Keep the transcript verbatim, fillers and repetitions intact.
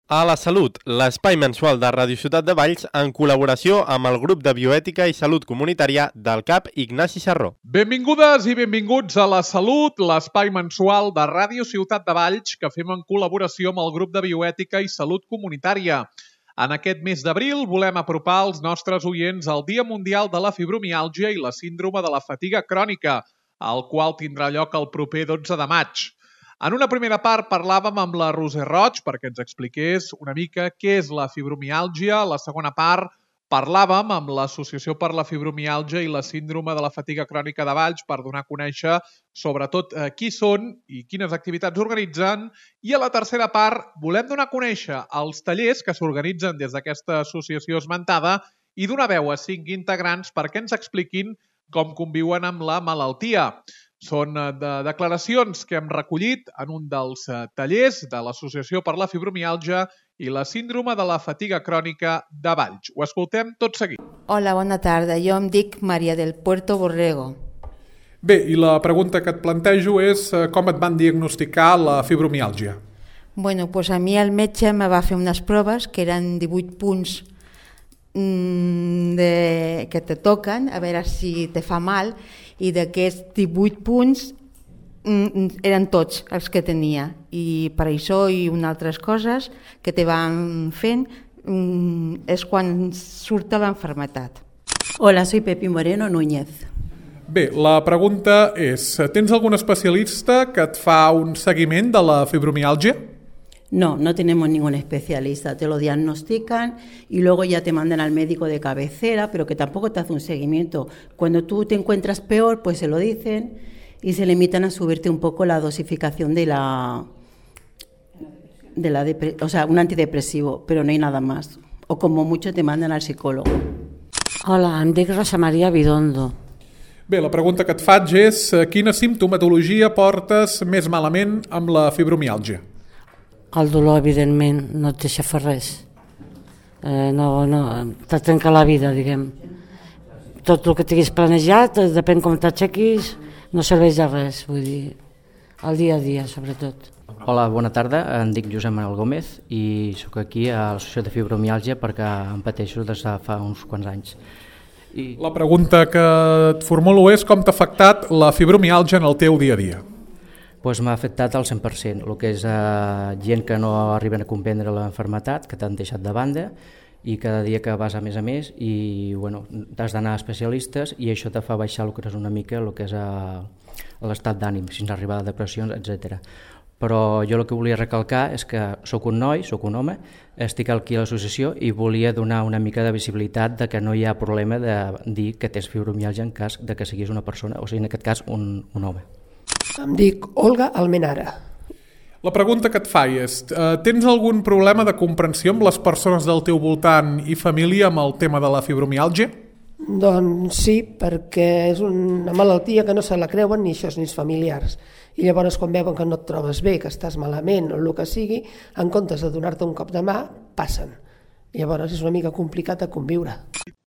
A la Salut, l'espai mensual de Ràdio Ciutat de Valls en col·laboració amb el grup de bioètica i salut comunitària del CAP Ignasi Sarró. Benvingudes i benvinguts a La Salut, l'espai mensual de Ràdio Ciutat de Valls que fem en col·laboració amb el grup de bioètica i salut comunitària. En aquest mes d'abril volem apropar els nostres oients al Dia Mundial de la Fibromiàlgia i la Síndrome de la Fatiga Crònica, el qual tindrà lloc el proper dotze de maig. En una primera part parlàvem amb la Roser Roig perquè ens expliqués una mica què és la fibromiàlgia. A la segona part parlàvem amb l'Associació per la Fibromiàlgia i la Síndrome de la Fatiga Crònica de Valls per donar a conèixer sobretot eh, qui són i quines activitats organitzen. I a la tercera part volem donar a conèixer els tallers que s'organitzen des d'aquesta associació esmentada i donar veu a cinc integrants perquè ens expliquin com conviuen amb la malaltia. Són de declaracions que hem recollit en un dels tallers de l'Associació per la Fibromiàlgia i la Síndrome de la Fatiga Crònica de Valls. Ho escoltem tot seguit. Hola, bona tarda. Jo em dic Maria del Puerto Borrego. Bé, i la pregunta que et plantejo és com et van diagnosticar la fibromiàlgia? Bueno, pues a mi el metge me va fer unes proves que eren divuit punts de, que te toquen, a veure si te fa mal, i d'aquests divuit punts eren tots els que tenia, i per això i unes altres coses que te van fent és quan surt l'enfermetat. Hola, soy Pepi Moreno Núñez. Bé, la pregunta és, tens algun especialista que et fa un seguiment de la fibromiàlgia? No, no tenemos ningún especialista, te lo diagnostican y luego ya te mandan al médico de cabecera, pero que tampoco te hace un seguimiento. Cuando tú te encuentras peor, pues se lo dicen y se limitan a subirte un poco la dosificación de la, de la depre- o sea, un antidepresivo, pero no hay nada más. O como mucho te mandan al psicólogo. Hola, em dic Rosa Maria Bidondo. Bé, la pregunta que et faig és quina simptomatologia portes més malament amb la fibromiàlgia? El dolor, evidentment, no et deixa fer res. Eh, no, no, te trenca la vida, diguem. Tot el que tinguis planejat, depèn com t'aixequis, no serveix de res, vull dir, el dia a dia, sobretot. Hola, bona tarda, em dic Josep Manuel Gómez i sóc aquí a l'Associació de Fibromiàlgia perquè em pateixo des de fa uns quants anys. I... La pregunta que et formulo és com t'ha afectat la fibromiàlgia en el teu dia a dia? Pues m'ha afectat al cent per cent, el que és eh, gent que no arriben a comprendre l'enfermetat, que t'han deixat de banda i cada dia que vas a més a més i bueno, t'has d'anar a especialistes i això te fa baixar el que és una mica el que és eh, l'estat d'ànim, fins a arribar a depressions, etcètera. Però jo el que volia recalcar és que sóc un noi, sóc un home, estic aquí a l'associació i volia donar una mica de visibilitat de que no hi ha problema de dir que tens fibromiàlgia en cas de que siguis una persona, o sigui, en aquest cas, un, un home. Em dic Olga Almenara. La pregunta que et faig és, eh, tens algun problema de comprensió amb les persones del teu voltant i família amb el tema de la fibromiàlgia? Doncs sí, perquè és una malaltia que no se la creuen ni això ni els familiars. I llavors quan veuen que no et trobes bé, que estàs malament o el que sigui, en comptes de donar-te un cop de mà, passen. Llavors és una mica complicat de conviure.